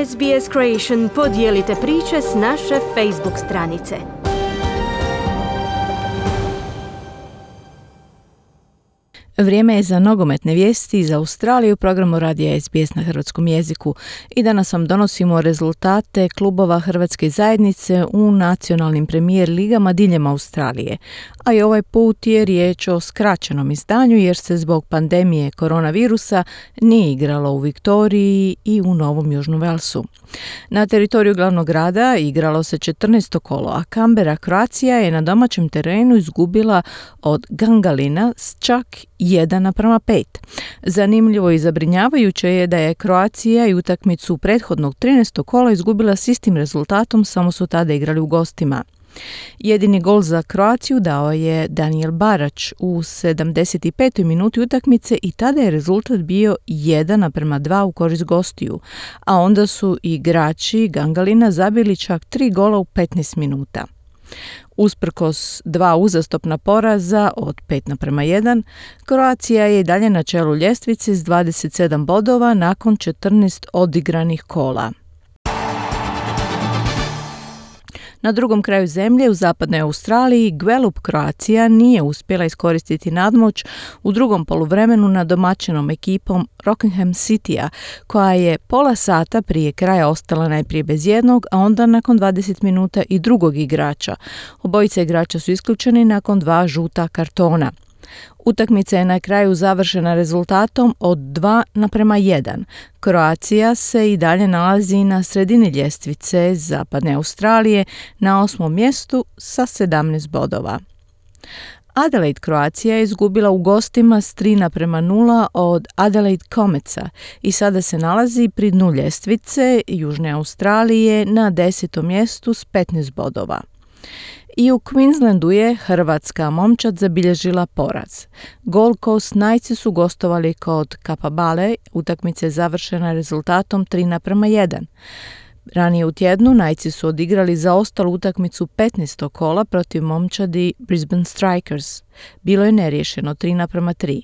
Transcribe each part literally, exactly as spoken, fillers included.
S B S Creation podijelite priče s naše Facebook stranice. Vrijeme je za nogometne vijesti iz Australije u programu radija S B S na hrvatskom jeziku i danas vam donosimo rezultate klubova Hrvatske zajednice u nacionalnim premijer ligama diljem Australije. A i ovaj put je riječ o skraćenom izdanju jer se zbog pandemije koronavirusa nije igralo u Viktoriji i u Novom Južnom Velsu. Na teritoriju glavnog grada igralo se četrnaesto kolo, a Canberra Croatia je na domaćem terenu izgubila od Gangalina s čak jedan naprama pet. Zanimljivo i zabrinjavajuće je da je Croatia i utakmicu prethodnog trinaestog kola izgubila s istim rezultatom, samo su tada igrali u gostima. Jedini gol za Kroaciju dao je Daniel Barač u sedamdeset petoj minuti utakmice i tada je rezultat bio jedan naprama dva u korist gostiju, a onda su igrači Gangalina zabili čak tri gola u petnaest minuta. Usprkos dva uzastopna poraza od pet naprama jedan, Croatia je dalje na čelu ljestvice s dvadeset sedam bodova nakon četrnaest odigranih kola. Na drugom kraju zemlje, u zapadnoj Australiji, Gwelup Croatia nije uspjela iskoristiti nadmoć u drugom poluvremenu nad domaćinom ekipom Rockingham Citya, koja je pola sata prije kraja ostala najprije bez jednog, a onda nakon dvadeset minuta i drugog igrača. Obojica igrača su isključeni nakon dva žuta kartona. Utakmica je na kraju završena rezultatom od dva naprama jedan. Croatia se i dalje nalazi na sredini ljestvice zapadne Australije na osmom mjestu sa sedamnaest bodova. Adelaide Croatia je izgubila u gostima s tri naprama nula od Adelaide Cometsa i sada se nalazi pri dnu ljestvice Južne Australije na desetom mjestu s petnaest bodova. I u Queenslandu je hrvatska momčad zabilježila poraz. Gold Coast Knightsi su gostovali kod Capabale, utakmica je završena rezultatom tri naprama jedan. Ranije u tjednu Knightsi su odigrali zaostalu utakmicu petnaestog kola protiv momčadi Brisbane Strikers. Bilo je neriješeno tri naprama tri.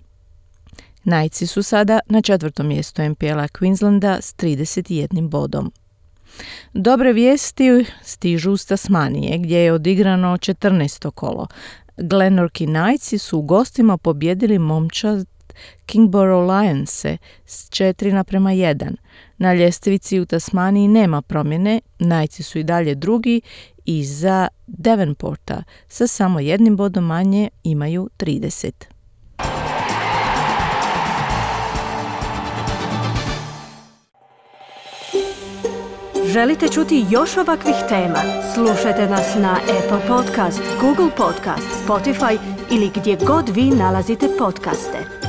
Knightsi su sada na četvrtom mjestu N P L-a Queenslanda s trideset jednim bodom. Dobre vijesti stižu s Tasmanije, gdje je odigrano četrnaesto kolo. Glenorchy Knightsi su u gostima pobjedili momčad Kingborough Lionse s četiri naprama jedan. Na ljestvici u Tasmaniji nema promjene, Knightsi su i dalje drugi i za Devonporta sa samo jednim bodom manje imaju trideset. Želite čuti još ovakvih tema? Slušajte nas na Apple Podcast, Google Podcast, Spotify ili gdje god vi nalazite podcaste.